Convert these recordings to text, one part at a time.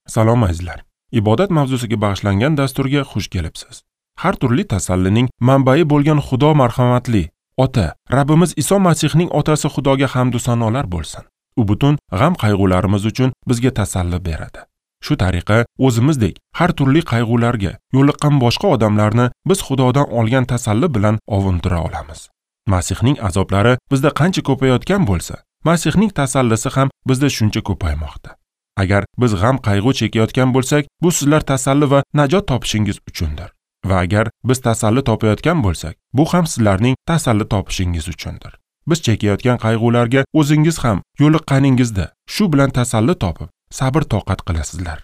Salom azizlar. Ibodat mavzusiga bag'ishlangan dasturga xush kelibsiz. Har turli tasallining manbai bo'lgan Xudo marhamatli Ota, Rabbimiz Iso Masihning otasi Xudoga hamd va sanolar bo'lsin. U butun g'am qayg'ularimiz uchun bizga tasalli beradi. Shu tariqa o'zimizdek har turli qayg'ularga yo'liqqan boshqa odamlarni biz Xudodan olgan tasalli bilan ovuntira olamiz. Masihning azoblari bizda qancha ko'payotgan bo'lsa, Masihning tasallisi ham bizda shuncha ko'paymoqda. Agar biz g'am qayg'u chekayotgan bo'lsak, bu sizlar tasalli va najot topishingiz uchundir. Va agar biz tasalli topayotgan bo'lsak, bu ham sizlarning tasalli topishingiz uchundir. Biz chekayotgan qayg'ularga o'zingiz ham yo'liqqaningizda shu bilan tasalli topib, sabr toqat qilasizlar.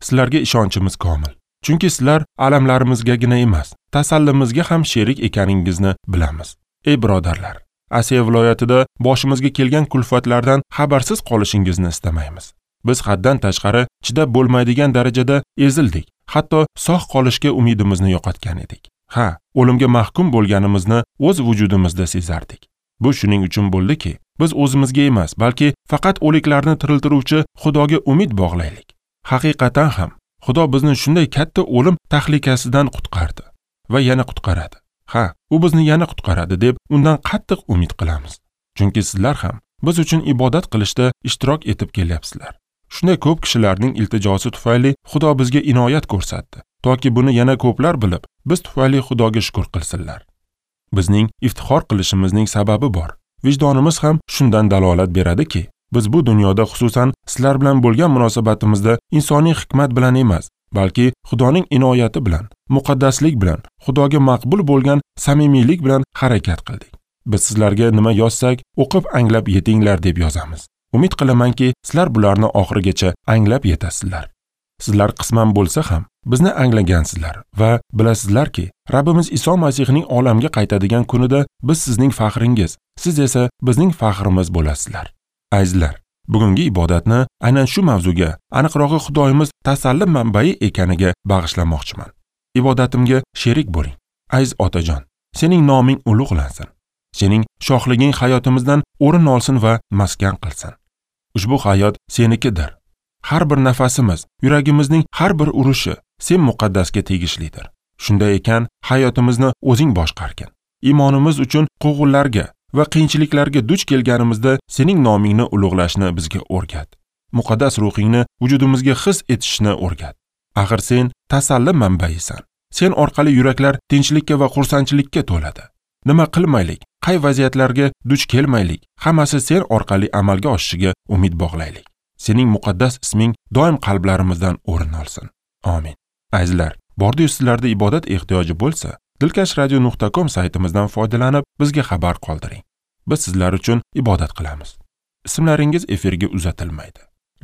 Sizlarga ishonchimiz komil. Chunki sizlar alamlarimizgagina emas, tasallimizga ham sherik ekaningizni bilamiz. Ey birodarlar, Asiya viloyatida boshimizga kelgan kulfatlardan xabarsiz qolishingizni istamaymiz. Biz haddan tashqari chidab bo'lmaydigan darajada ezildik. Hatto sog' qolishga umidimizni yo'qotgan edik. Ha, o'limga mahkum bo'lganimizni o'z vujudimizda sezardik. Bu shuning uchun bo'ldiki, biz o'zimizga emas, balki faqat o'liklarni tiriltiruvchi Xudoga umid bog'laylik. Haqiqatan ham Xudo bizni shunday katta o'lim tahlikasidan qutqardi va yana qutqaradi. Ha, u bizni yana qutqaradi deb undan qattiq umid qilamiz. Chunki sizlar ham biz uchun ibodat qilishda ishtirok etib kelyapsizlar. Shunday ko'p kishilarning iltijosi tufayli Xudo bizga inoyat ko'rsatdi, toki buni yana ko'plar bilib, biz tufayli Xudoga shukr qilsinlar. Bizning iftixor qilishimizning sababi bor. Vijdonimiz ham shundan dalolat beradiki, biz bu dunyoda xususan sizlar bilan bo'lgan munosabatimizda insoniy hikmat bilan emas, balki Xudoning inoyati bilan, muqaddaslik bilan, Xudoga maqbul bo'lgan samimiylik bilan harakat qildik. Biz sizlarga nima yozsak, o'qib anglab yetinglar deb yozamiz. Umid qilamanki, sizlar bularni oxirigacha anglab yetasizlar. Sizlar qisman bo'lsa ham bizni anglagansizlar va bilasizlarki, Rabbimiz Iso Masihning olamga qaytadigan kunida biz sizning faxringiz, siz esa bizning faxrimiz bo'lasizlar. Azizlar, bugungi ibodatni aynan shu mavzuga, aniqrog'i Xudoyimiz tasalli manbai ekaniga bag'ishlamoqchiman. Ibodatimga sherik bo'ling. Aziz otajon, sening noming ulug'lansin. Sening shohliging hayotimizdan o'rin olsin va maskan qilsin. Ushbu hayot senikidir. Har bir nafasimiz, yuragimizning har bir urishi sen muqaddasga tegishlidir. Shunday ekan, hayotimizni o'zing boshqargin. Iymonimiz uchun quvg'inlarga va qiyinchiliklarga duch kelganimizda sening nomingni ulug'lashni bizga o'rgat. Muqaddas ruhingni vujudimizga his etishni o'rgat. Axir sen tasalli manbaisan. Sen orqali yuraklar tinchlikka va xursandchilikka to'ladi. Nima qilmaylik, qay vaziyatlarga duch kelmaylik, hammasi sen orqali amalga oshishiga umid bog'laylik. Sening muqaddas isming doim qalblarimizdan o'rin olsin. Amin. Azizlar, bordi-yu sizlarda ibodat ehtiyoji bo'lsa, dilkashradio.com saytimizdan foydalanib bizga xabar qoldiring. Biz sizlar uchun ibodat qilamiz. Ismlaringiz efirga uzatilmaydi.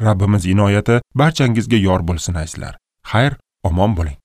Rabbimiz inoyati barchangizga yor bo'lsin azizlar. Xayr, omon bo'ling.